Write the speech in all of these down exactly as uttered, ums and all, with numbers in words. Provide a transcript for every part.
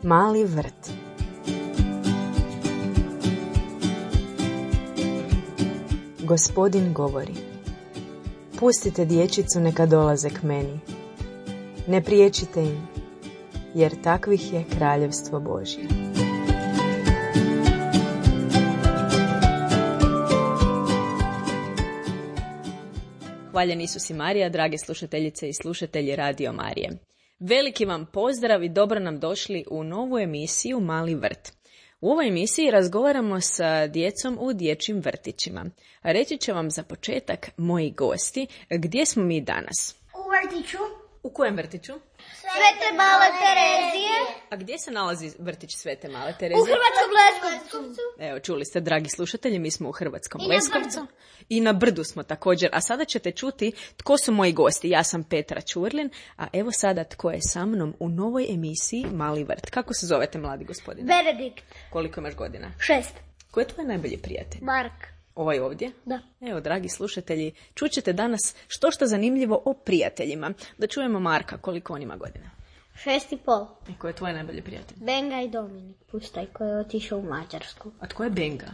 Mali vrt. Gospodin govori: pustite dječicu neka dolaze k meni. Ne priječite im, jer takvih je kraljevstvo Božje. Hvaljen Isus i Marija, drage slušateljice i slušatelji Radio Marije. Veliki vam pozdrav i dobro nam došli u novu emisiju Mali vrt. U ovoj emisiji razgovaramo sa djecom u dječjim vrtićima. Reći će vam za početak moji gosti gdje smo mi danas. U vrtiću. U kojem vrtiću? Svete Male Terezije. A gdje se nalazi vrtić Svete Male Terezije? U Hrvatskom Leskovcu. Evo, čuli ste, dragi slušatelji, mi smo u Hrvatskom Leskovcu. I na Brdu smo također. A sada ćete čuti tko su moji gosti. Ja sam Petra Ćurlin, a evo sada tko je sa mnom u novoj emisiji Mali vrt. Kako se zovete, mladi gospodine? Benedikt. Koliko imaš godina? Šest. Ko je tvoj najbolji prijatelj? Mark. Ovaj ovdje? Da. Evo, dragi slušatelji, čućete danas što što zanimljivo o prijateljima. Da čujemo Marka, koliko on ima godina? Šest i pol. I ko je tvoj najbolji prijatelj? Benga i Dominik Pustaj koji je otišao u Mađarsku. A tko je Benga?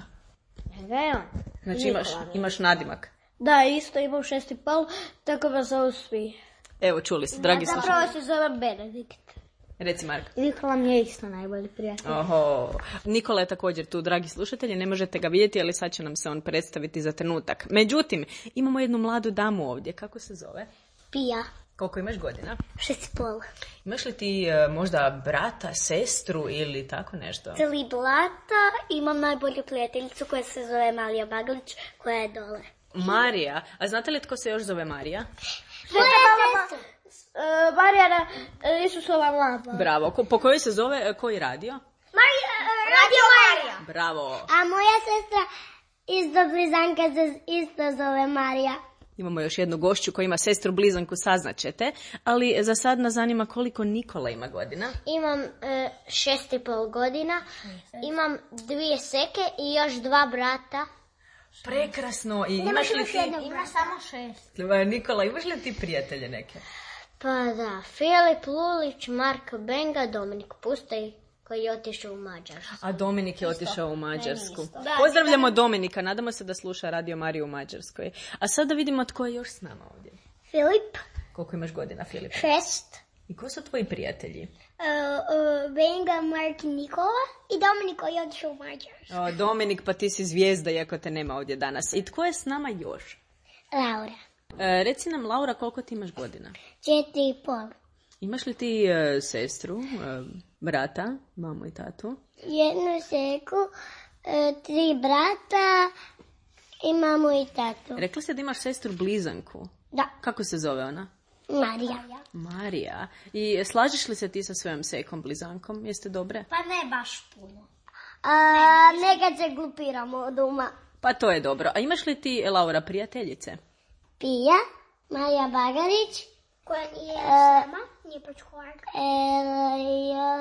Benga je on. Znači imaš, imaš nadimak. Da, isto imam šest i pol, tako me zovu svi. Evo, čuli ste, dragi slušatelji. Zapravo se zovem Benedikt. Reci, Mark. Nikola mi je isto najbolji prijatelj. Oho. Nikola je također tu, dragi slušatelji, ne možete ga vidjeti, ali sad će nam se on predstaviti za trenutak. Međutim, imamo jednu mladu damu ovdje. Kako se zove? Pija. Koliko imaš godina? Šest i pol. Imaš li ti e, možda brata, sestru ili tako nešto? Tri brata, imam najbolju prijateljicu koja se zove Marija Bagalić, koja je dole. Marija. A znate li tko se još zove Marija? Sveta mama. Uh, Marijana uh, Isusova mlada. Bravo. Ko, po kojoj se zove, e, koji radio? Marija, uh, Radio Marija. Bravo. A moja sestra iz Blizanka se isto zove Marija. Imamo još jednu gošću koja ima sestru blizanku, saznaćete, ali za sad nas zanima koliko Nikola ima godina. Imam uh, šest i pol godina, imam dvije seke i još dva brata. Prekrasno. I imaš li ti... Ima samo šest. Nikola, imaš li ti prijatelje neke? Pa da, Filip Lulić, Marko Benga, Dominik Pustaj koji je otišao u Mađarsku. A Dominik je otišao u Mađarsku. Da, Pozdravljamo Dominika, nadamo se da sluša Radio Mariju u Mađarskoj. A sada vidimo tko je još s nama ovdje. Filip. Koliko imaš godina, Filip? Šest. I ko su tvoji prijatelji? Uh, uh, Benga, Mark i Nikola i Dominik koji je otišao u Mađarsku. O, Dominik, pa ti si zvijezda iako te nema ovdje danas. I tko je s nama još? Laura. E, reci nam, Laura, koliko ti imaš godina? Četiri i pol. Imaš li ti e, sestru, e, brata, mamu i tatu? Jednu seku, e, tri brata i mamu i tatu. Rekla ste da imaš sestru blizanku. Da. Kako se zove ona? Marija. Marija. I slažeš li se ti sa svojom sekom blizankom? Jeste dobre? Pa ne baš puno. A, nekad se glupiramo doma. Pa to je dobro. A imaš li ti, Laura, prijateljice? Pija, Marija Bagarić. Koja nije sama, nije počkovarka. E,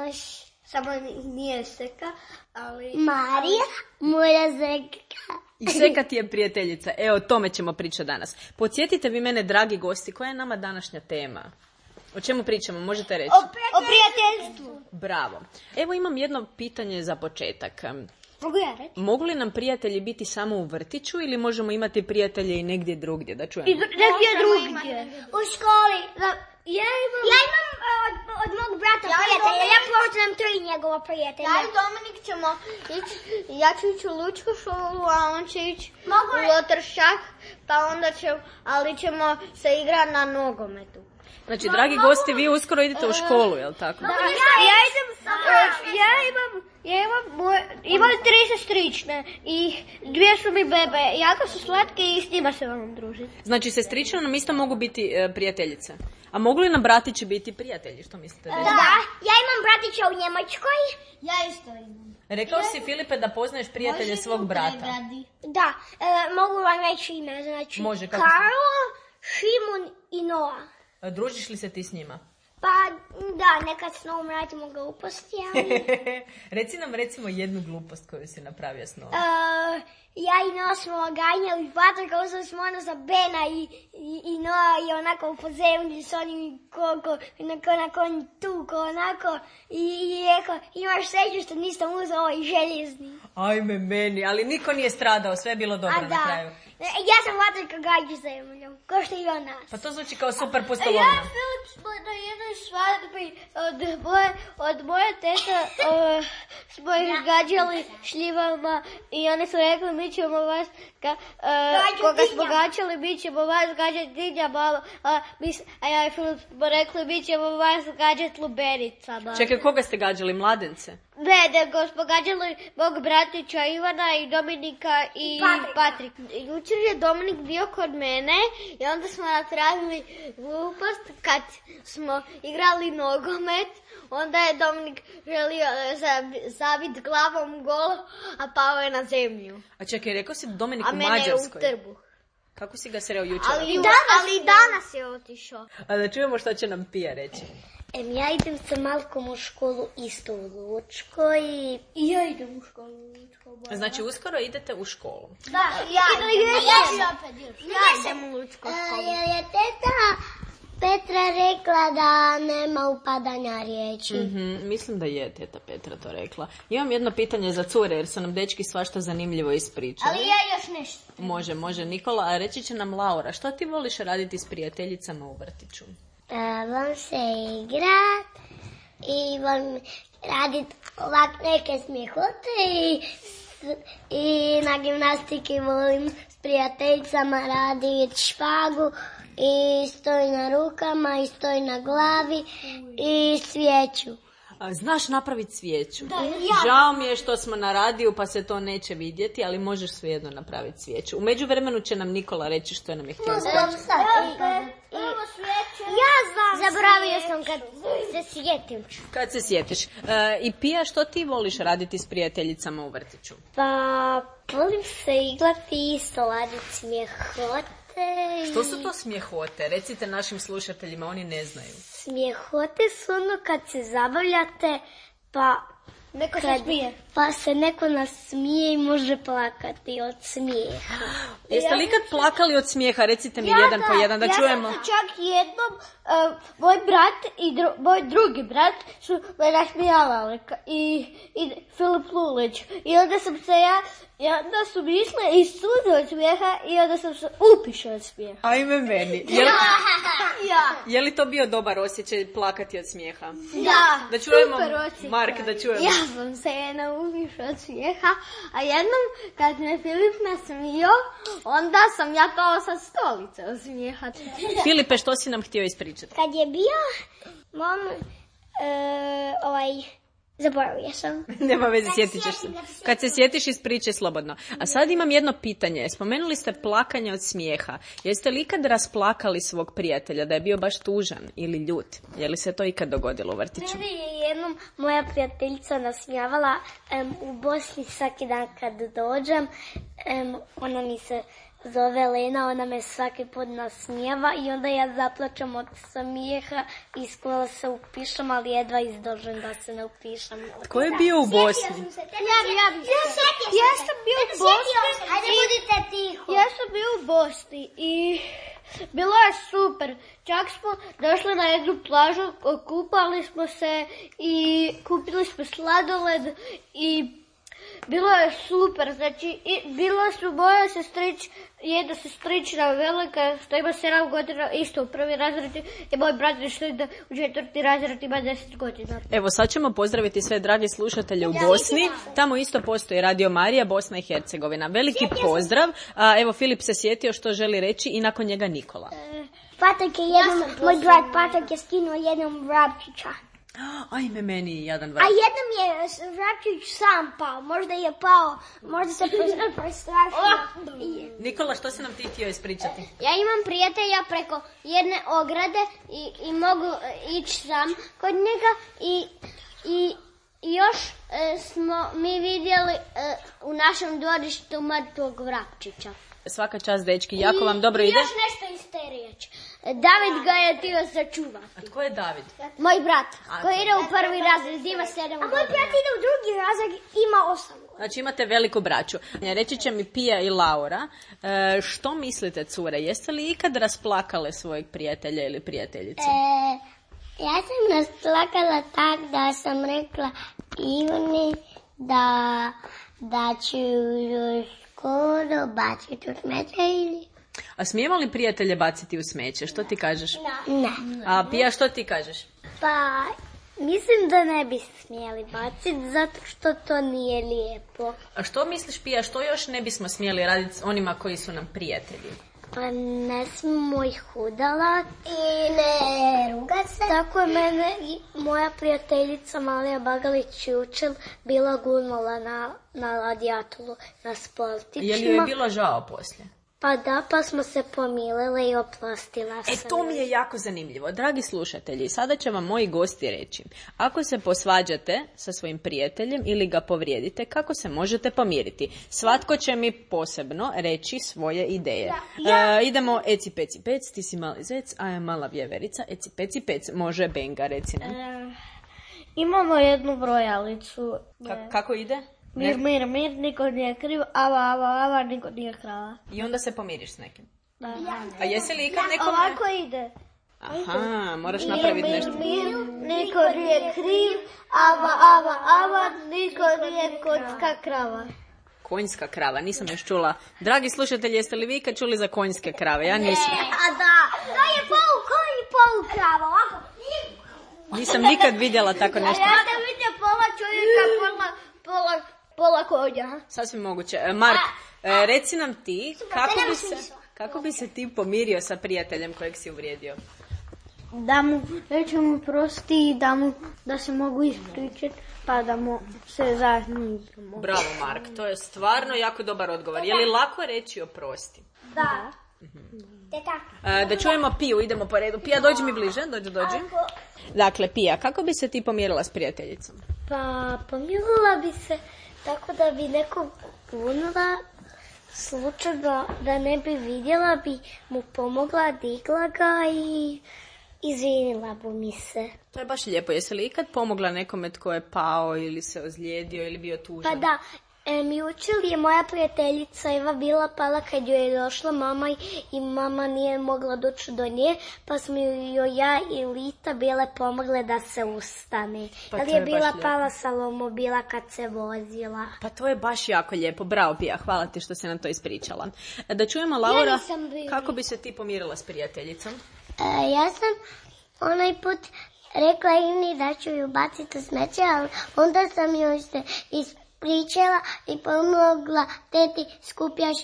još... Samo nije seka, ali... Marija, moja seka. I seka ti je prijateljica. Evo, o tome ćemo pričati danas. Podsjetite vi mene, dragi gosti, koja je nama današnja tema? O čemu pričamo? Možete reći? O, o prijateljstvu. Bravo. Evo imam jedno pitanje za početak. Mogu ja reći? Mogu li nam prijatelji biti samo u vrtiću ili možemo imati prijatelje i negdje drugdje? Da čujemo. I negdje drugdje. U školi. Ja imam, ja imam od, od mog brata ja prijatelja. Ja poznam tri njegova prijatelja. Ja i Dominik ćemo ići, ja ću ići u Lučku školu, a on će ići u Lotršak, pa onda će, ali ćemo se igrati na nogometu. Znači, dragi gosti, vi uskoro idete u školu, jel tako? Da, ja idem, ja imam, ja imam, imam tri sestrične i dvije su mi bebe. Jako su slatke i s njima se vam družiti. Znači, sestrične nam isto mogu biti e, prijateljice. A mogu li nam bratići biti prijatelji? Što mislite? Da, da, ja imam bratića u Njemačkoj. Ja isto imam. Rekao si, Filipe, da poznaješ prijatelje svog brata. Da, e, mogu vam reći ime, znači Može, kako Karlo, Šimun i Noa. Družiš li se ti s njima? Pa da, nekad s novom radimo gluposti, ali... Reci nam recimo jednu glupost koju si napravio s novom. Uh, ja i Noa smo ganjali Patrika, uzeli smo ono za Bena i, i, i Noa i onako po zemlji s onim koliko, onako, onako tuko, onako i, i rekao, imaš sreću što nisam uzeo ovaj željezni. Ajme meni, ali niko nije stradao, sve je bilo dobro na kraju. Ja sam Patrika gađu zemljom, ko što i on nas. Pa to zvuči kao super pustolovno. Ja i Filip smo na jednoj svadbi od moje, od moje teta uh, smo ih gađali šljivama i oni su rekli mi ćemo vas, ga, uh, koga smo gađali mi ćemo vas gađati dinjama, a, a ja i Filip smo rekli mi ćemo vas gađati lubenicama. Čekaj, koga ste gađali, mladence? Ne, nego smo gađali mog bratića Ivana i Dominika i Patrik. Jučer je Dominik bio kod mene i onda smo napravili glupost kad smo igrali nogomet. Onda je Dominik želio zabiti glavom gol, a pao je na zemlju. A čekaj, rekao si Dominik u Mađarskoj. Mađarskoj. A mene je u trbuh. Kako si ga sreo jučer? Ali, ali danas je otišao. A da čujemo što će nam Pija reći. Em, ja idem sa Malkom u školu isto u Lučkoj. I ja idem u školu u Lučkoj. Znači, uskoro idete u školu. Da, ja, ja, ja, ja idem u Lučku školu. Jer je teta Petra rekla da nema upadanja riječi. Mm-hmm, mislim da je teta Petra to rekla. Imam jedno pitanje za cure, jer su nam dečki svašta zanimljivo ispričali. Ali ja još nešto. Može, može. Nikola, a reći će nam Laura, što ti voliš raditi s prijateljicama u vrtiću? Uh, volim se igrat i volim raditi ovak neke smijehote i, i na gimnastiki volim s prijateljicama raditi špagu i stoj na rukama i stoj na glavi i svijeću. A, znaš napraviti svijeću? Da, ja. Žao mi je što smo na radiju pa se to neće vidjeti, ali možeš svejedno napraviti svijeću. U međuvremenu će nam Nikola reći što nam je htio reći. Ja znam. Zaboravio sam kad se sjetim. Kad se sjetiš. E, I Pija, što ti voliš raditi s prijateljicama u vrtiću? Pa, volim se igrati i soladiti smijehote. Što su to smijehote? Recite našim slušateljima, oni ne znaju. Smijehote su ono kad se zabavljate, pa neko se kad, smije. pa se neko nasmije i može plakati od smijeha. Jeste li ikad plakali od smijeha? Recite mi ja jedan da, po jedan da ja čujemo. Ja sam čak jednom, uh, moj brat i dru, moj drugi brat su me nasmijala i, i Filip Lulić. I onda sam se ja, i onda su mi išle i suze od smijeha i onda sam se upišao od smijeha. Ajme meni. Je li, ja. je li to bio dobar osjećaj plakati od smijeha? Da, da čujemo, super osjećaj. Mark, da čujemo. Ja sam se jedna upišao od smijeha, a jednom kad me Filip nasmio, onda sam ja pao sa stolice od smijeha. Filipe, što si nam htio ispričati? Kad je bio, mom, uh, ovaj, zaboravio sam. Nema veze, sjetit ćeš se. Kad se sjetiš, ispričaj slobodno. A sad imam jedno pitanje. Spomenuli ste plakanje od smijeha. Jeste li ikad rasplakali svog prijatelja da je bio baš tužan ili ljut? Je li se to ikad dogodilo u vrtiću? Mene je jednom moja prijateljica nasmijavala um, u Bosni svaki dan kad dođem. Um, ona mi se zove Lena, ona me svaki put nasmijava i onda ja zaplačem od smijeha i skoro se upišem, ali jedva izdržim da se ne upišem. Ko je bio u Bosni? Ja, ja, ja, ja sam bio u Bosni. Ajde, budite tiho. Ja sam bio u Bosni i bilo je super. Čak smo došli na jednu plažu, kupali smo se i kupili smo sladoled i bilo je super, znači i, bilo su moja sestrić, jedna sestrična velika što ima sedam godina, isto u prvi razred i moj brat što ide u četvrti razred ima deset godina. Evo sad ćemo pozdraviti sve dragi slušatelje u Bosni, tamo isto postoji Radio Marija, Bosna i Hercegovina. Veliki pozdrav, a, evo Filip se sjetio što želi reći i nakon njega Nikola. Patrik je jednom, ja moj brat Patrik je skinuo jednom vrapčića. Ajme meni jedan vrat. A jednom je vrapčić sam pao, možda je pao, možda se prestrašio. Nikola, što si nam ti htio ispričati? Ja imam prijatelja preko jedne ograde i, i mogu ići sam kod njega i, i, i još e, smo mi vidjeli e, u našem dvorištu mrtvog vrapčića. Svaka čast, dečki, jako vam dobro ide. I još nešto iz te riječi. David ga je htio sačuvati. A tko je David? Moj brat, A, koji ide u prvi razred, ima sedam A moj brat ide u drugi razred, ima osam godina. Znači imate veliku braću. Reći će mi Pija i Laura, e, što mislite, cure, jeste li ikad rasplakale svojeg prijatelja ili prijateljice? E, ja sam rasplakala tak da sam rekla Ivani da, da ću ju skoro baciti u smeće ili... A smijemo li prijatelje baciti u smeće? Što ti kažeš? Ne. A Pija, što ti kažeš? Pa, mislim da ne bi smjeli baciti, zato što to nije lijepo. A što misliš, Pija, što još ne bismo smjeli raditi s onima koji su nam prijatelji? Pa ne smijemo ih udalati. I ne rugat se. Tako je mene i moja prijateljica Malija Bagalić jučer bila gurnula na, na radijatoru, na sportićima. Je li joj je bilo žao poslije? Pa da, pa smo se pomilile i oprostila sam. E, to mi je jako zanimljivo. Dragi slušatelji, sada će vam moji gosti reći. Ako se posvađate sa svojim prijateljem ili ga povrijedite, kako se možete pomiriti? Svatko će mi posebno reći svoje ideje. Ja, ja. E, idemo eci peci pec, ti si mali zec, a ja mala vjeverica, eci peci pec. Može Benga, reci nam. E, imamo jednu brojalicu. Ka- kako ide? Mir, mir, mir, niko nije kriv, ava, ava, ava, niko nije krava. I onda se pomiriš s nekim. Da. A jesi li ikad nekom... Ovako ide. Aha, moraš napraviti nešto. Mir, mir, niko nije kriv, ava, ava, ava, niko nije kocka krava. Konjska krava, nisam još čula. Dragi slušatelji, jeste li vi ikad čuli za konjske krave? Ja nisam. A da, to je polu konj i polu krava, ovako. Nisam nikad vidjela tako nešto. Ja da vidim pola čovjeka, pola, pola, pola konja. Sasvim moguće. E, Mark, e, reci nam ti, kako bi, se, kako bi se ti pomirio sa prijateljem kojeg si uvrijedio? Da mu reći mu prosti i da, mu, da se mogu ispričati, pa da mu se zajedno igramo. Bravo, Mark, to je stvarno jako dobar odgovor. Je li lako reći oprosti? Da. Te tako. E, da čujemo Piju, idemo po redu. Pija, dođi mi bliže, dođi, dođi. Dakle, Pija, kako bi se ti pomirila s prijateljicom? Pa pomirila bi se tako da bi nekog punila, slučajno da ne bi vidjela, bi mu pomogla, digla ga i izvinila bi mi se. To je baš lijepo. Jesi li ikad pomogla nekome tko je pao ili se ozlijedio ili bio tužan? Pa da, em, jučer je moja prijateljica Eva bila pala kad joj je došla mama i, i mama nije mogla doći do nje, pa smo joj ja i Lita bile pomogle da se ustane. Pa Ali to je, je bila baš pala sa lomobila kad se vozila. Pa to je baš jako lijepo. Bravo, Pija, hvala ti što si nam to ispričala. Da čujemo, Laura, Ja nisam bila. kako bi se ti pomirila s prijateljicom? E, ja sam onaj put rekla Ivni da ću ju baciti u smeće, ali onda sam joj se ispričala i pomogla teti skupljaš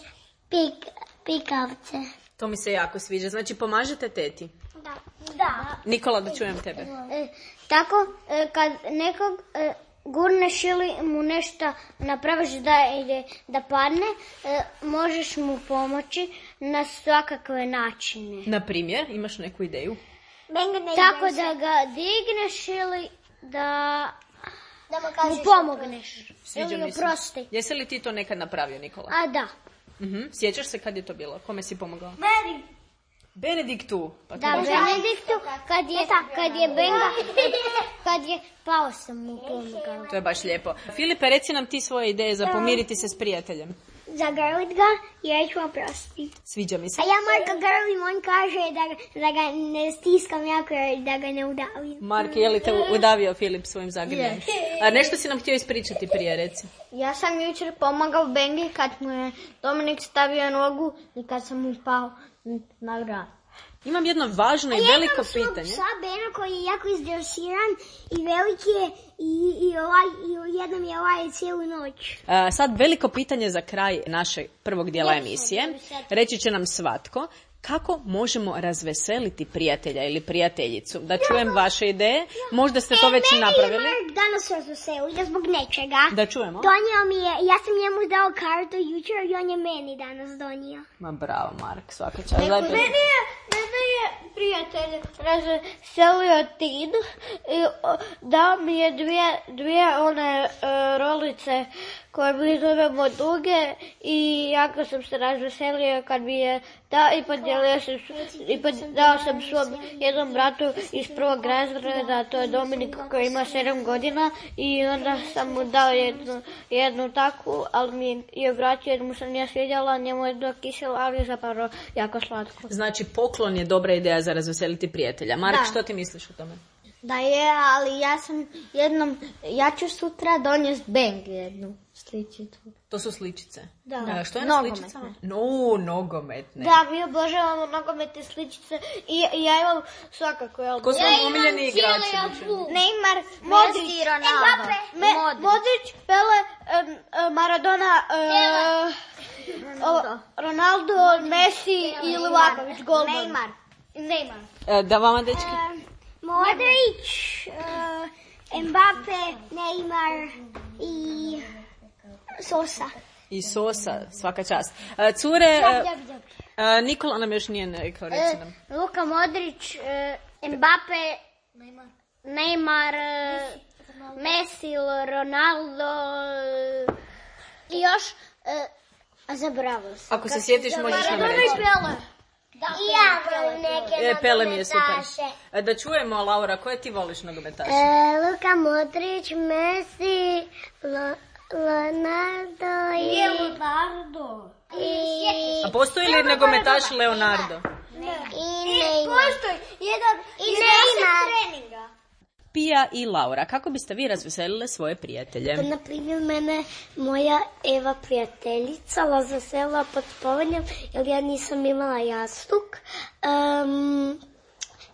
pik, pikavce. To mi se jako sviđa. Znači, pomažete teti. Da. Da. Nikola, da čujem tebe. E, tako, e, kad nekog e, gurneš ili mu nešto napraviš da ide da padne, e, možeš mu pomoći na svakakve načine. Na primjer, imaš neku ideju? Benga ne Tako ide da ga digneš ili da da mu mu kažeš pomogneš. Sviđa Ili mi se. oprosti. Jesi li ti to nekad napravio, Nikola? A da. Mhm. Sjećaš se kad je to bilo? Kome si pomogao? Meni. Benediktu. Pa to Da, baš- Benediktu, kad je, kad je Benga, kad je pao sam mu pomogao. To je baš lijepo. Filipe, reci nam ti svoje ideje za pomiriti se s prijateljem. Zagrlit ga i reći mu oprosti. Sviđa mi se. A ja Marka grlim, on kaže da, ga- da ga ne stiskam jako, da ga ne udavim. Mark, je li te udavio Filip svojim zagrljajem? A nešto si nam htio ispričati prije, reci. Ja sam jučer pomagao Bengi kad mu je Dominik stavio nogu i kad sam mu pao na vrat. Imam jedno važno i veliko pitanje. Psa Bena koji je jako izdresiran i veliki je i, i, ovaj, i jednom je ovaj cijelu noć. A, sad veliko pitanje za kraj našeg prvog dijela emisije. Reći će nam svatko kako možemo razveseliti prijatelja ili prijateljicu. Da čujem vaše ideje. Možda ste to već i napravili. Meni je Mark danas razveselio zbog nečega. Da čujemo. Donio mi je, ja sam njemu dao kartu jučer i on je meni danas donio. Ma bravo, Mark, svaka čast. Daj, Meni je, meni je prijatelj razveselio Tin i o, dao mi je dvije, dvije one e, rolice koju mi zovemo Duge i jako sam se razveselio kad mi je da i podijelio sam, i pod, dao sam svom jednom bratu iz prvog razreda, to je Dominik koji ima sedam godina i onda sam mu dao jednu, jednu takvu, ali mi je vratio jer mu se nije svidjela, njemu je do kisela, ali je zapravo jako slatko. Znači poklon je dobra ideja za razveseliti prijatelja. Mark, da. Što ti misliš o tome? Da je, ali ja sam jednom, ja ću sutra donijeti Bang jednu sličicu. To su sličice? Da. A, što je na sličicama? No, nogometne. Da, mi obožavamo nogometne sličice i, i ja imam svakako. Ja Ko su vam omiljeni igrači? Neymar, Modrić, Messi, Ronaldo. Me, Modrić. Modrić, Pele, um, um, Maradona, um, Ronaldo. Ronaldo, Messi i Livaković, golman. Neymar. Neymar. E, da vama, dečki? Um, Modrić, uh, Mbappe, Neymar i Sosa. I Sosa, svaka čast. E, cure, e, Nikola nam još nije rekao, reci nam. E, Luka Modrić, e, Mbappe, Neymar, Neymar e, Messi, Ronaldo e, i još, e, a zaboravio sam. Ako se sjetiš, možeš nam reći. Da, i ja volim neke e, Pele mi je super. nogometaše. Da čujemo, Laura, koje ti voliš nogometaše? E, Luka Modrić, Messi, Lo, Leonardo i... Je Leonardo. I... A postoji li nogometaš Leonardo? Ne. I Neymar. Postoji jedan I Neymar. Pija i Laura, kako biste vi razveselile svoje prijatelje? Na primjer, mene moja Eva prijateljica razveselila pod spovanjem, jer ja nisam imala jastuk. Um,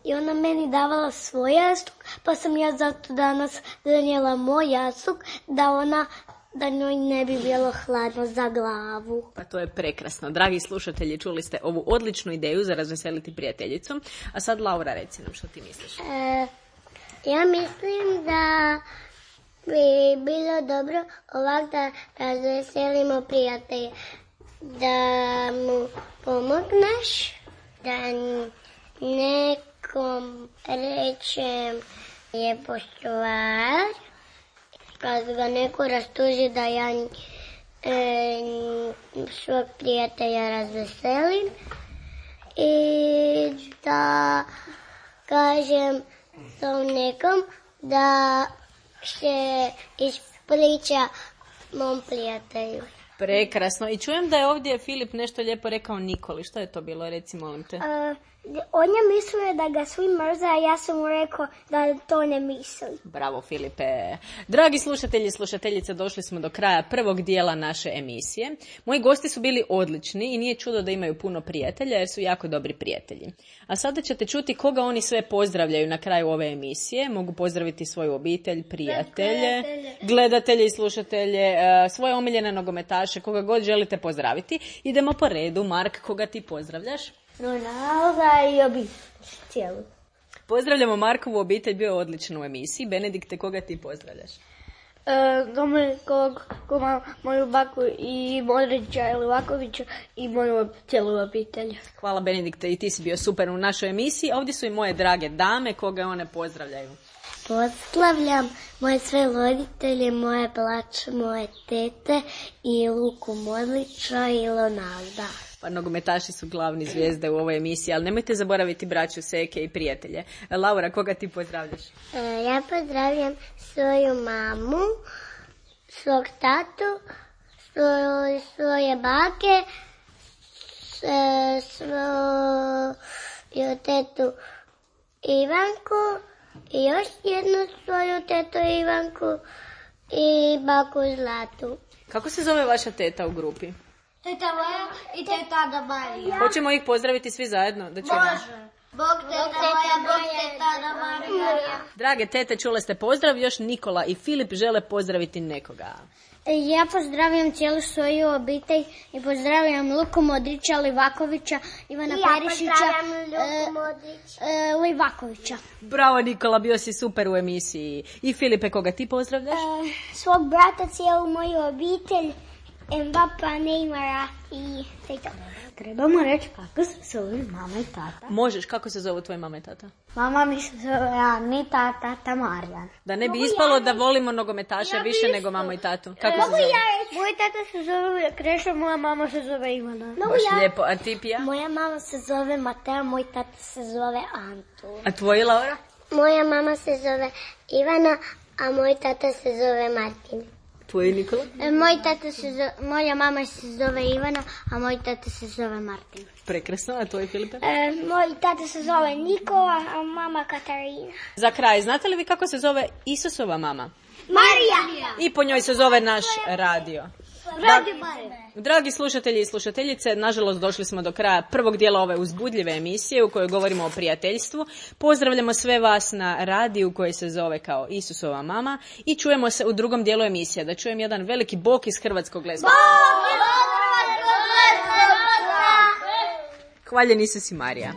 I ona meni davala svoj jastuk, pa sam ja zato danas donijela moj jastuk, da ona da njoj ne bi bilo hladno za glavu. Pa to je prekrasno. Dragi slušatelji, čuli ste ovu odličnu ideju za razveseliti prijateljicu. A sad, Laura, reci nam što ti misliš. E, ja mislim da bi bilo dobro ovak da razveselimo prijatelje. Da mu pomogneš, da nekom rečem lijepo stvar, kad ga neko rastuži da ja e, svog prijatelja razveselim i da kažem tom nekom da se ispriča mom prijatelju. Prekrasno. I čujem da je ovdje Filip nešto lijepo rekao Nikoli. Što je to bilo? Reci, molim te. Uh, on je mislio da ga svi mrze, a ja sam mu rekao da to ne misli. Bravo, Filipe. Dragi slušatelji i slušateljice, došli smo do kraja prvog dijela naše emisije. Moji gosti su bili odlični i nije čudo da imaju puno prijatelja jer su jako dobri prijatelji. A sada ćete čuti koga oni sve pozdravljaju na kraju ove emisije. Mogu pozdraviti svoju obitelj, prijatelje, gledatelje i slušatelje, svoje omiljene nogometaše, koga god želite pozdraviti. Idemo po redu. Mark, koga ti pozdravljaš? Ronalda i obitelj cijelu. Pozdravljamo Markovu obitelj, bio je odličan u emisiji. Benedikte, koga ti pozdravljaš? E, Dominikog, moju baku i Modrića i Livakovića i moju cijelu obitelj. Hvala, Benedikte, i ti si bio super u našoj emisiji. Ovdje su i moje drage dame, koga one pozdravljaju. Pozdravljam moje sve roditelje, moje braće, moje tete i Luku Modrića i Ronalda. Pa nogometaši su glavni zvijezde u ovoj emisiji, ali nemojte zaboraviti braću, seke i prijatelje. Laura, koga ti pozdravljaš? E, ja pozdravljam svoju mamu, svog tatu, svoje, svoje bake, svoju tetu Ivanku i još jednu svoju tetu Ivanku i baku Zlatu. Kako se zove vaša teta u grupi? Teta Lea i teta Ada Marija. Hoćemo ih pozdraviti svi zajedno? Da ćemo. Može. Bog teta moja, Bog teta Ada Marija. Drage tete, čule ste pozdrav, još Nikola i Filip žele pozdraviti nekoga. Ja pozdravljam cijelu svoju obitelj i pozdravljam Luku Modrića, Livakovića, Ivana ja Perišića, Luku Modrić. e, e, Livakovića. Bravo, Nikola, bio si super u emisiji. I Filipe, koga ti pozdravljaš? E, svog brata, cijelu moju obitelj Mbapa, Neymara i sve to. Trebamo reći kako se zove mama i tata. Možeš, kako se zove tvoja mama i tata? Mama mi se zove Anita, tata Marijan. Da ne bi ispalo da volimo nogometaše Ja više bi nego isto. mamu i tatu. Kako se Mogu zove? ja reći? Moj tata se zove Krešo, moja mama se zove Ivana. Mogu Baš ja? lijepo. A ti, Pija? Moja mama se zove Mateo, moj tata se zove Anto. A tvoji, Laura? Moja mama se zove Ivana, a moj tata se zove Martin. Tvoji, Nikola? E, moj tata se zove, moja mama se zove Ivana, a moj tata se zove Martin. Prekrasno. A tvoji, Filipe? E, moj tata se zove Nikola, a mama Katarina. Za kraj, znate li vi kako se zove Isusova mama? Marija! I po njoj se zove naš radio. Radio Bare. Dragi slušatelji i slušateljice, nažalost došli smo do kraja prvog dijela ove uzbudljive emisije u kojoj govorimo o prijateljstvu. Pozdravljamo sve vas na radiju koji se zove kao Isusova mama i čujemo se u drugom dijelu emisije. Da čujem jedan veliki bok iz Hrvatskog Leskovca. Hvaljen Isus i Marija.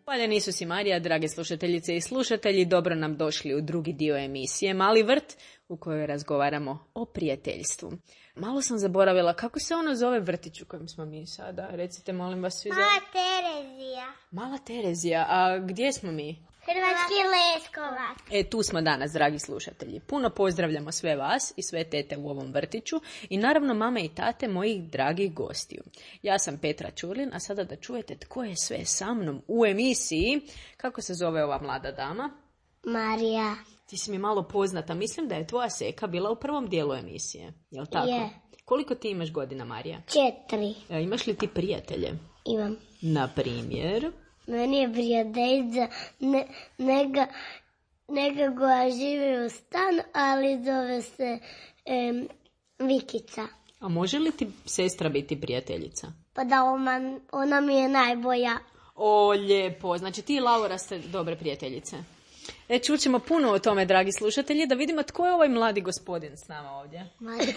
Hvaljen Isus i Marija, drage slušateljice i slušatelji, dobro nam došli u drugi dio emisije Mali vrt u kojoj razgovaramo o prijateljstvu. Malo sam zaboravila kako se ono zove vrtić u kojem smo mi sada. Recite, molim vas svi. Mala Terezija. Mala Terezija, a gdje smo mi? Hrvatski Leskovac. E, tu smo danas, dragi slušatelji. Puno pozdravljamo sve vas i sve tete u ovom vrtiću i naravno mame i tate mojih dragih gostiju. Ja sam Petra Čurlin, a sada da čujete tko je sve sa mnom u emisiji. Kako se zove ova mlada dama? Marija. Ti si mi malo poznata. Mislim da je tvoja seka bila u prvom dijelu emisije. Jel tako? Je. Koliko ti imaš godina, Marija? Četiri. E, imaš li ti prijatelje? Imam. Na primjer? Meni je prijateljica ne, neka, neka koja živi u stanu, ali zove se em, Vikica. A može li ti sestra biti prijateljica? Pa da ona, ona mi je najbolja. O, lijepo. Znači ti i Laura ste dobre prijateljice. E, čućemo puno o tome, dragi slušatelji, da vidimo tko je ovaj mladi gospodin s nama ovdje. Mati.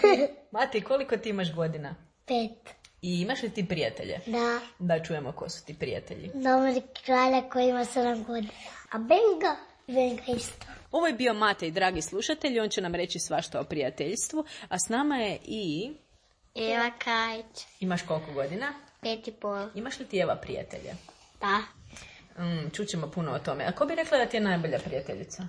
Mati, koliko ti imaš godina? Pet. I imaš li ti prijatelje? Da. Da čujemo ko su ti prijatelji. Dobri kralja koji ima sedam godina. A Benga? Benga isto. Ovo je bio Matej, dragi slušatelji, on će nam reći svašta o prijateljstvu, a s nama je i... Eva Kajić. Imaš koliko godina? Pet i pol. Imaš li ti Eva prijatelje? Da. Mm, čućemo puno o tome. A ko bi rekla da ti je najbolja prijateljica?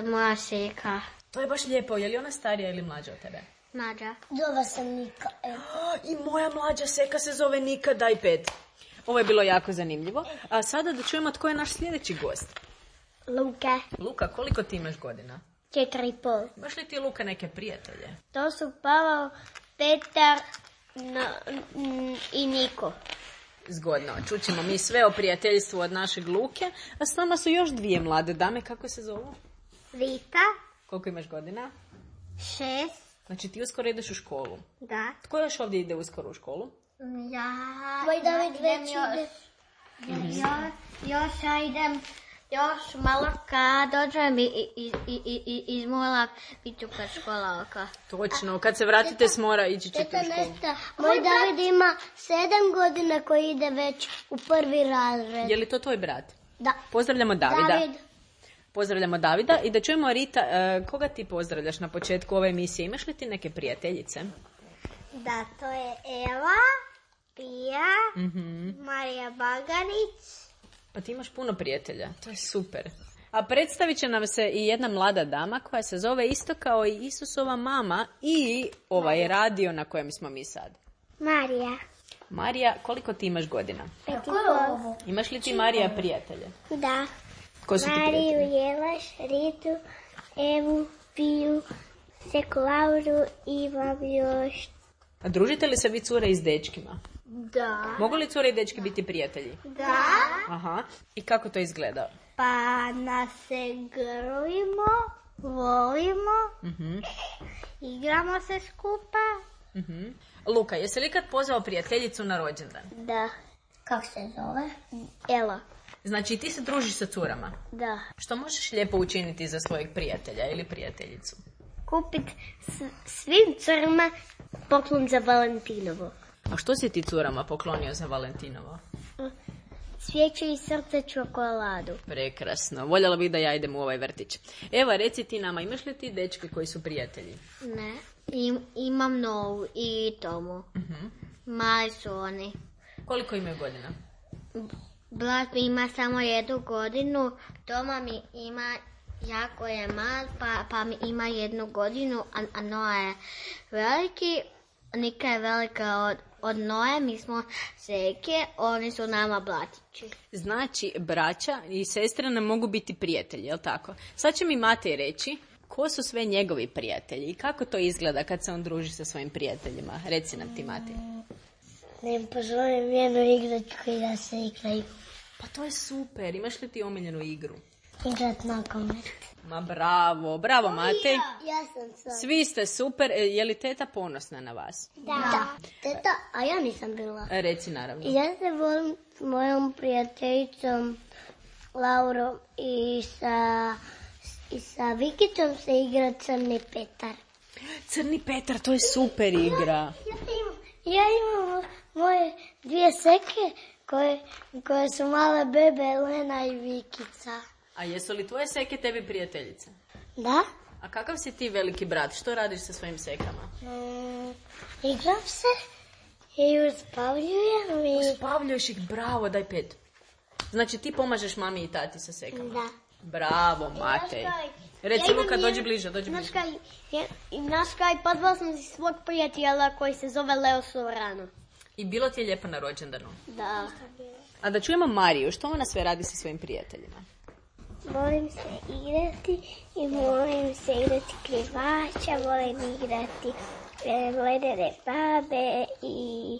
Moja seka. To je baš lijepo. Je li ona starija ili mlađa od tebe? Mlađa. Zove sam Nika. Evo. I moja mlađa seka se zove Nika, daj pet. Ovo je bilo jako zanimljivo. A sada da čujemo tko je naš sljedeći gost. Luka. Luka, koliko ti imaš godina? Četiri i pol. Imaš li ti, Luka, neke prijatelje? To su Pavao, Petar no, n- i Niko. Zgodno. Čućemo mi sve o prijateljstvu od našeg Luke. A s nama su još dvije mlade dame. Kako se zovu? Rita. Koliko imaš godina? Šest. Znači ti uskoro ideš u školu. Da. Tko još ovdje ide uskoro u školu? Ja, Tvoj David idem već još. ide. Još, još ja idem Još malo kad dođem iz, iz, iz, iz mola, bit ću kad škola oka. Točno, kad se vratite s mora, ići ćete u školu. Moj David ima sedam godina koji ide već u prvi razred. Je li to tvoj brat? Da. Pozdravljamo Davida. David. Pozdravljamo Davida i da čujemo Rita, koga ti pozdravljaš na početku ove emisije? Imaš li ti neke prijateljice? Da, to je Eva, Pija, Mm-hmm. Marija Bagarić. Pa ti imaš puno prijatelja, to je super. A predstavit će nam se i jedna mlada dama koja se zove isto kao i Isusova mama i ovaj radio na kojem smo mi sad. Marija. Marija, koliko ti imaš godina? Pet i pol. Imaš li ti, Marija, prijatelje? Da. Ko su ti Mariju, prijatelji? Jelaš, Ritu, Evu, Piju, Seku Lauru i imam još. A družite li se vi cure i s dečkima? Da. Mogu li cure i dečki biti prijatelji? Da. Aha. I kako to izgleda? Pa nas se grlimo, volimo, Mhm. igramo se skupa. Mhm. Luka, jesi li kad pozvao prijateljicu na rođendan? Da. Kako se zove? Ela. Znači ti se družiš sa curama. Da. Što možeš lijepo učiniti za svojeg prijatelja ili prijateljicu? Kupit s- svim curama poklon za Valentinovo. A što si ti curama poklonio za Valentinovo? Svijeću i srce čokoladu. Prekrasno. Voljela bih da ja idem u ovaj vrtić. Eva, reci ti nama, imaš li ti dečke koji su prijatelji? Ne, Im, imam Novu i Tomu. Mhm. Mali su oni. Koliko imaju godina? Brat mi ima samo jednu godinu, Toma mi ima, jako je mal, pa, pa mi ima jednu godinu, a, a Noa je veliki, Nika je velika od, od Noe, mi smo seke, oni su nama blatići. Znači, braća i sestre nam mogu biti prijatelji, jel tako? Sad će mi Matej reći ko su sve njegovi prijatelji i kako to izgleda kad se on druži sa svojim prijateljima. Reci nam ti, Matej. Ne pozovem jednu igračku i da se igraju. Pa to je super. Imaš li ti omiljenu igru? Igrat nogomet. Ma bravo, bravo Matej. Ja sam sad. Svi ste super. E, Je li teta ponosna na vas? Da. Teta, a ja nisam bila. E, Reci naravno. Ja se volim s mojom prijateljicom Laurom i sa, i sa Vikicom se igra Crni Petar. Crni Petar, to je super igra. Ja imam, ja imam moje dvije seke koje, koje su male bebe Lena i Vikica. A jesu li tvoje seke tebi prijateljice? Da? A kakav si ti veliki brat? Što radiš sa svojim sekama? Mm, igram se i uspavljujem i... Spavljuješ ih, bravo, daj pet. Znači ti pomažeš mami i tati sa sekama? Da. Bravo, Matej. Reci Luka, dođi bliže, dođi bliže. Znaš kaj, pozvala sam si svog prijatelja koji se zove Leo Sovrano. I bilo ti je lijepo na rođendanu. Da. A da čujemo Mariju, što ona sve radi sa svojim prijateljima? Volim se igrati i volim se igrati krivača, volim igrati e, ledene babe i...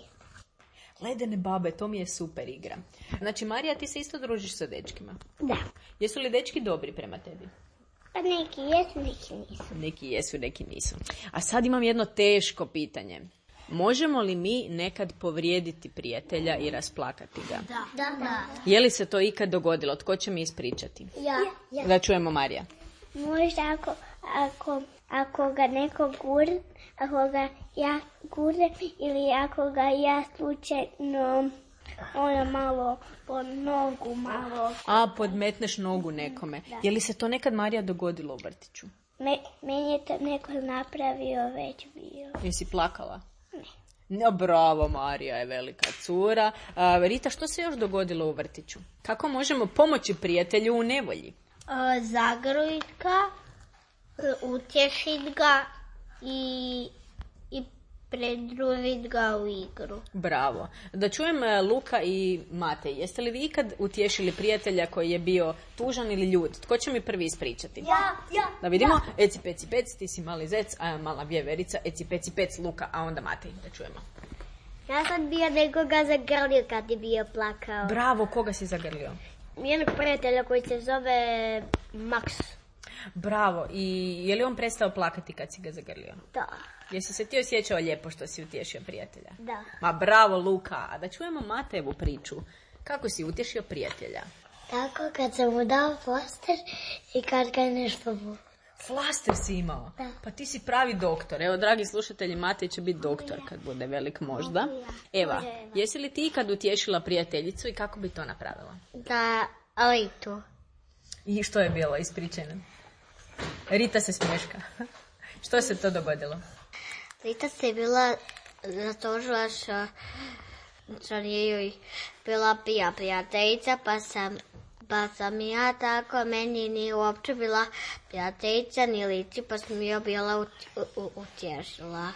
Ledene babe, to mi je super igra. Znači, Marija, ti se isto družiš sa dečkima. Da. Jesu li dečki dobri prema tebi? Pa neki jesu, neki nisu. Neki jesu, neki nisu. A sad imam jedno teško pitanje. Možemo li mi nekad povrijediti prijatelja i rasplakati ga? Da. Da. Je li se to ikad dogodilo? Tko će mi ispričati? Ja. ja. Da čujemo Marija. Možda ako, ako, ako ga neko gurne, ako ga ja gurnem ili ako ga ja slučajno ono malo po nogu malo. A, podmetneš nogu nekome. Je li se to nekad, Marija, dogodilo u vrtiću? Me, meni je to neko napravio već bio. Jesi plakala? Ne. Bravo, Marija je velika cura. A, Rita, što se još dogodilo u vrtiću? Kako možemo pomoći prijatelju u nevolji? Zagrlit ga, utješit ga i, i predružit ga u igru. Bravo. Da čujem e, Luka i Matej. Jeste li vi ikad utješili prijatelja koji je bio tužan ili ljut? Tko će mi prvi ispričati? Ja, ja. Da vidimo. Ja. Eci, peci, pec, ti si mali zec, a ja mala vjeverica. Eci, peci, pec, Luka, a onda Matej. Da čujemo. Ja sam bio nekoga zagrlio kad je bio plakao. Bravo, koga si zagrlio? Jednog prijatelja koji se zove Max. Bravo. I je li on prestao plakati kad si ga zagrlio? Da. Jesi se ti osjećao lijepo što si utješio prijatelja? Da. Ma bravo, Luka. A da čujemo Matejevu priču. Kako si utješio prijatelja? Tako kad sam mu dao flaster i kad ga je nešto bolo. Flaster si imao? Da. Pa ti si pravi doktor. Evo, dragi slušatelji, Matej će biti doktor kad bude velik možda. Eva, jesi li ti kad utješila prijateljicu i kako bi to napravila? Da, Ritu. I što je bilo? Ispričajno. Rita se smješka. Što se to dogodilo? Rita se bila zatožila što, što nije joj bila pija prijateljica, pa sam, pa sam ja tako, meni nije uopće bila prijateljica ni Lici, pa sam joj bila utješila.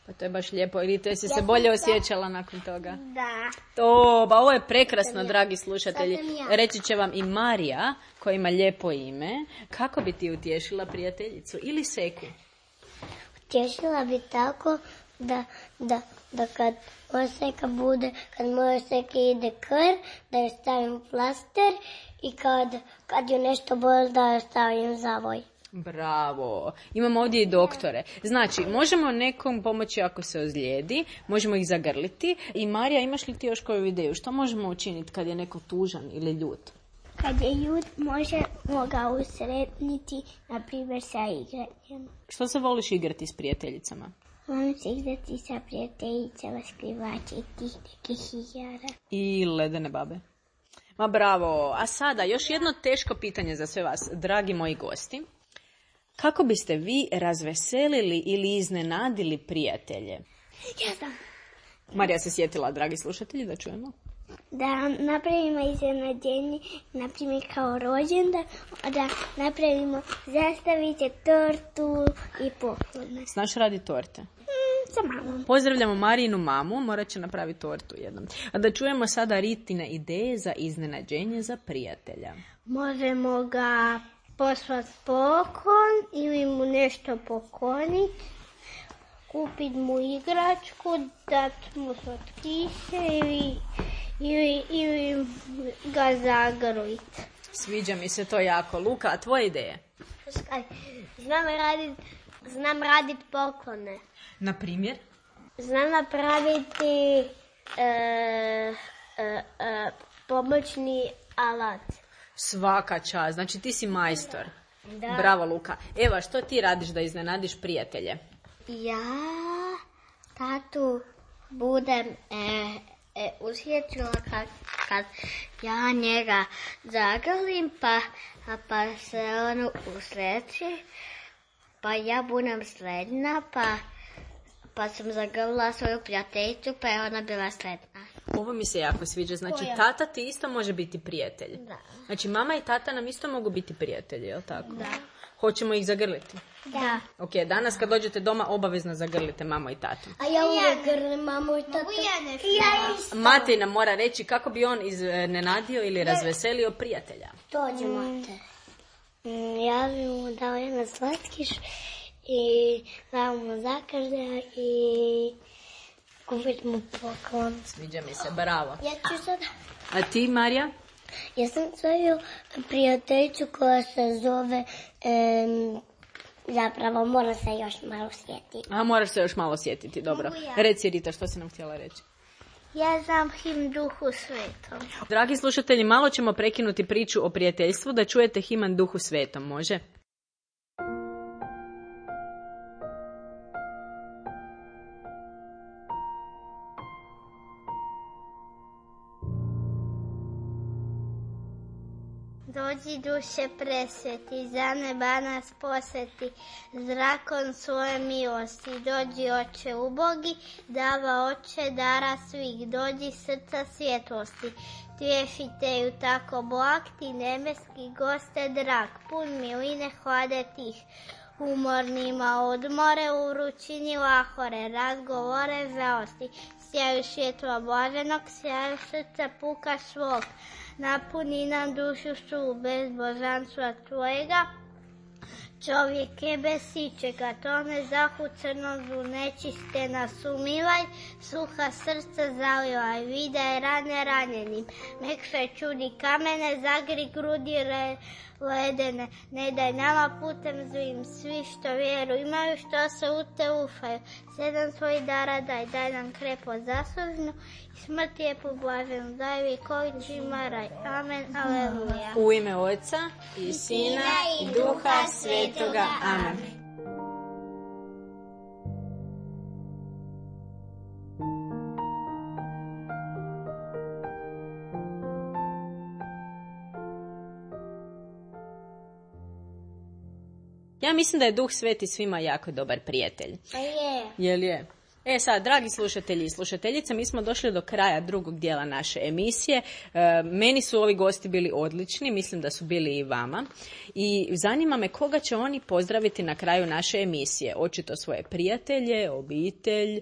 Pa to je baš lijepo. Rita, jesi se bolje osjećala nakon toga? Da. To, ba ovo je prekrasno, dragi slušatelji. Reći će vam i Marija, koja ima lijepo ime. Kako bi ti utješila prijateljicu? Ili Seku? Utješila bi tako da, da, da kad Oseka bude, kad moja Oseka ide krv, da joj stavim plaster i kad, kad joj nešto boli da joj stavim zavoj. Bravo. Imamo ovdje i doktore. Znači, možemo nekom pomoći ako se ozlijedi, možemo ih zagrliti. I Marija, imaš li ti još koju ideju? Što možemo učiniti kad je neko tužan ili ljut? Kad je ljut, možemo ga usretniti, na primjer, sa igranjem. Što se voliš igrati s prijateljicama? Volim se igrati sa prijateljicama, skrivači i tih nekih igara. I ledene babe. Ma bravo. A sada, još jedno teško pitanje za sve vas, dragi moji gosti. Kako biste vi razveselili ili iznenadili prijatelje? Ja znam. Marija se sjetila, dragi slušatelji, da čujemo. Da napravimo iznenađenje, na primjer kao rođendan, da napravimo zastavice, tortu i poklone. Znaš radi torte? Mm, sa mamom. Pozdravljamo Marijinu mamu, morat će napraviti tortu jednom. A da čujemo sada Ritine ideje za iznenađenje za prijatelja. Možemo ga poslati poklon ili mu nešto pokloniti, kupiti mu igračku, dati mu slatkiše ili, ili, ili ga zagrliti. Sviđa mi se to jako. Luka, a tvoje ideje? Znam raditi znam radit poklone. Na primjer? Znam napraviti e, e, e, pomoćni alat. Svaka čast. Znači ti si majstor. Da. Bravo, Luka. Eva, što ti radiš da iznenadiš prijatelje? Ja tatu budem e, e, usjećila kad, kad ja njega zagrlim, pa, pa se on usreći, pa ja budem srednja, pa, pa sam zagrlila svoju prijateljicu, pa je ona bila sretna. Ovo mi se jako sviđa. Znači, tata ti isto može biti prijatelj. Da. Znači, mama i tata nam isto mogu biti prijatelji, je li tako? Da. Hoćemo ih zagrliti? Da. Ok, danas kad dođete doma obavezno zagrlite mamo i tatu. A ja uvijek grlim mamu i tatu. Ja Matej nam mora reći kako bi on iznenadio ili razveselio prijatelja. Dođe, Matej. Mm, ja bi mu dao jedan slatkiš i dao mu zakrde i kupit mu poklon. Sviđa mi se, bravo. Ja ću sad... A ti, Marija? Ja sam svoju prijateljicu koja se zove... Um, zapravo, mora se još malo sjetiti. A, moraš se još malo sjetiti, dobro. Ja. Reci, Rita, što si nam htjela reći? Ja znam himn Duhu Svetom. Dragi slušatelji, malo ćemo prekinuti priču o prijateljstvu da čujete himn Duhu Svetom, može? Dođi duše presveti, za neba nas posveti, zrakom svoje milosti. Dođi oče ubogi, dava oče dara svih, dođi srca svjetlosti. Tješitelju tako blag, ti nebeski goste drag, pun miline hlade tih. Umornima odmore, u vrućini lahore, razgovore žalosti. Sjaju svjetlo blaženog, sjaju srca puka svog. Napuni nam dušu su bez božanstva tvojega. Čovjek je bez sičega, tone zahu crnozu, nečiste nas umivaj, suha srca zalivaj, vidaj rane ranjenim. Nek se čudi kamene, zagri grudi, re, ledene. Ne daj nama putem zlim, svi što vjeru imaju, što se u te ufaju. Sedam svojih dara daj, daj nam krepo zaslužno i smrt je poblaženu. Daj vjekovićima raj. Amen, aleluja. U ime Oca i Sina i Duha Svetoga. Amen. Ja mislim da je Duh Sveti svima jako dobar prijatelj. Pa je. Jel je? E sad, dragi slušatelji i slušateljice, mi smo došli do kraja drugog dijela naše emisije. E, meni su ovi gosti bili odlični, mislim da su bili i vama. I zanima me koga će oni pozdraviti na kraju naše emisije. Očito svoje prijatelje, obitelj,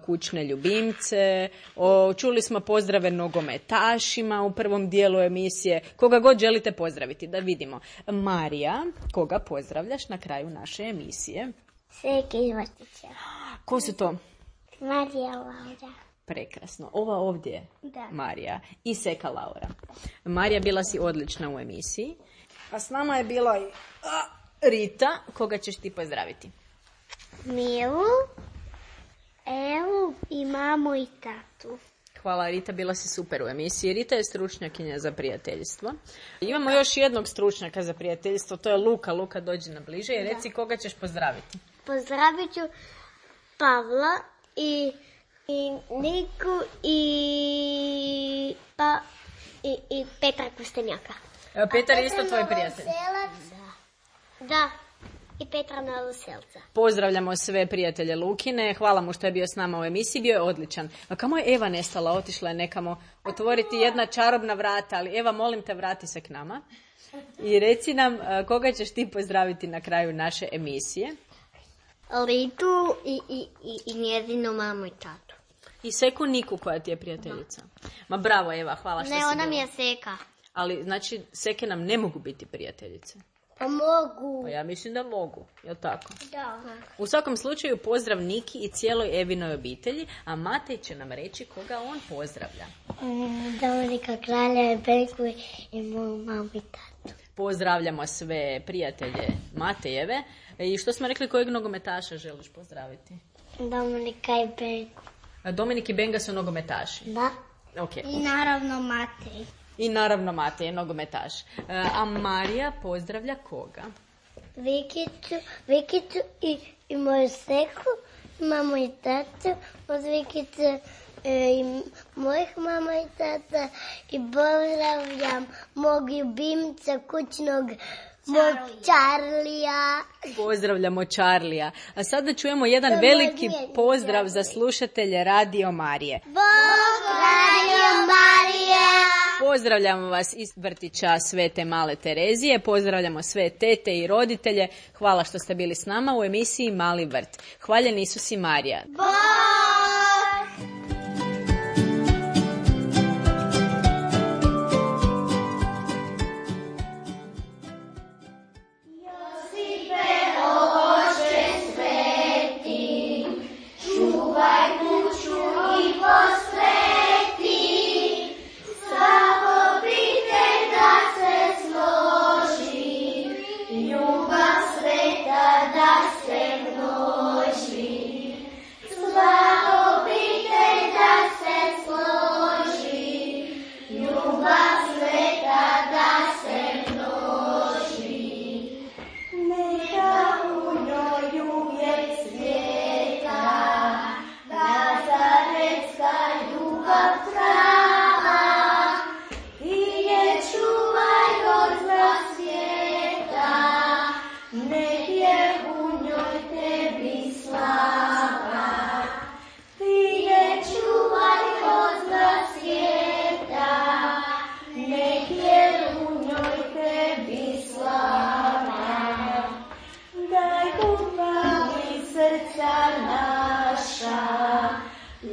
kućne ljubimce. O, čuli smo pozdrave nogometašima u prvom dijelu emisije. Koga god želite pozdraviti, da vidimo. Marija, koga pozdravljaš na kraju naše emisije? Seke iz vrtića. Ko su to? Marija Laura. Prekrasno. Ova ovdje je Da. Marija i Seka Laura. Marija, bila si odlična u emisiji. A s nama je bila i a, Rita. Koga ćeš ti pozdraviti? Milu, Evu i mamu i tatu. Hvala Rita, bila si super u emisiji. Rita je stručnjakinja za prijateljstvo. Imamo još jednog stručnjaka za prijateljstvo, to je Luka. Luka, dođi na bliže i reci koga ćeš pozdraviti. Pozdravit ću Pavla i, i Niku i, pa, i, i Petra Kostenjaka. Evo, Petar je isto tvoj prijatelj. Da. Da. I Petra Novoselca. Pozdravljamo sve prijatelje Lukine. Hvala mu što je bio s nama u emisiji. Bio je odličan. A kamo je Eva nestala? Otišla je nekamo otvoriti jedna čarobna vrata. Ali Eva, molim te, vrati se k nama. I reci nam koga ćeš ti pozdraviti na kraju naše emisije. Litu i, i, i, i njezinu mamu i tatu. I Seku Niku koja ti je prijateljica. Ma bravo Eva, hvala što Ne, si ona bila. mi je Seka. Ali znači Seke nam ne mogu biti prijateljice. Pa mogu. Pa ja mislim da mogu, jel tako? Da. U svakom slučaju pozdrav Niki i cijeloj Evinoj obitelji, a Matej će nam reći koga on pozdravlja. Dominika Kralja i Benku i moju mamu i tatu. Pozdravljamo sve prijatelje Matejeve. I što smo rekli, kojeg nogometaša želiš pozdraviti? Dominika i Benku. A Dominik i Benga su nogometaši. Da. Okay. I naravno Matej. I naravno Matej je nogometaš. A Marija pozdravlja koga? Vikicu, Vikicu i, i moju Seku, mamu i tatu, od Vikice e, i mojih mama i tata i pozdravljam mog ljubimca kućnog mog Čarlija. Pozdravljamo Čarlija. A sada čujemo jedan veliki pozdrav za slušatelje Radio Marije. Bog Radio Marije! Pozdravljamo vas iz vrtića Svete Male Terezije, pozdravljamo sve tete i roditelje. Hvala što ste bili s nama u emisiji Mali vrt. Hvaljen Isus i Marija. Bog!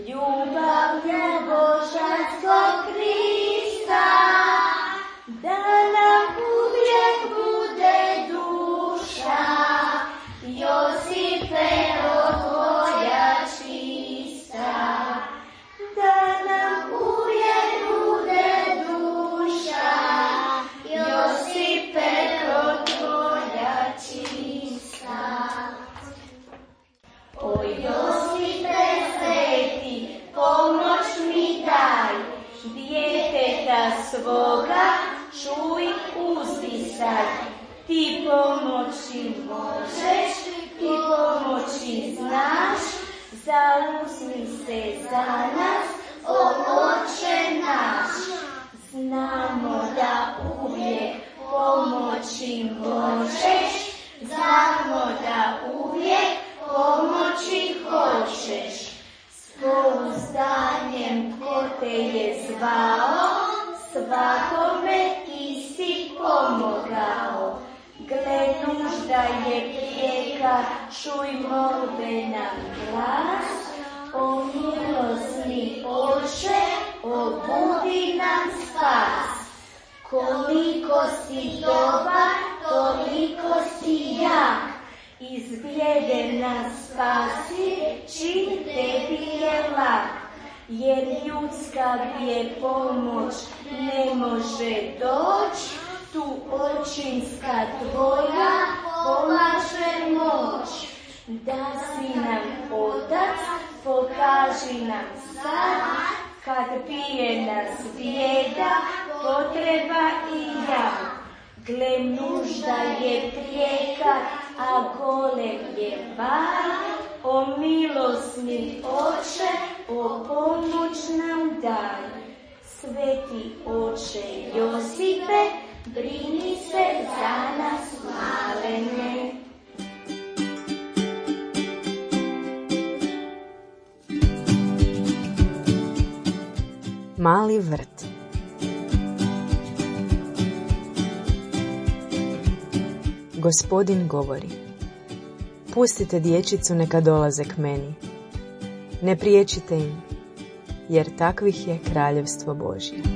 Ljubav je Božja svoga, čuj, uzdisaj. Ti pomoći možeš, ti pomoći znaš, zauzmi se za nas, o Oče naš. Znamo da uvijek pomoći možeš, znamo da uvijek pomoći hoćeš. S pouzdanjem ko te je zvao, svakome ti si pomogao. Gle, nužda je prijeka, čuj molbe nam glas. O milosni Oče, obudi nam spas. Koliko si dobar, toliko si jak. Iz bijede nas spasi, čin tebi je lak. Jer ljudska gdje pomoć ne može doć, tu očinska tvoja pomaže moć. Da si nam Otac, pokaži nam sad, kad bije nas bijeda, potreba i jak. Gle, nužda je prijeka, a golem je vaj. O milosni Oče, o pomoć nam daj. Sveti Oče Josipe, brini se za nas malene. Mali vrt. Gospodin govori: pustite dječicu neka dolaze k meni. Ne priječite im, jer takvih je kraljevstvo Božje.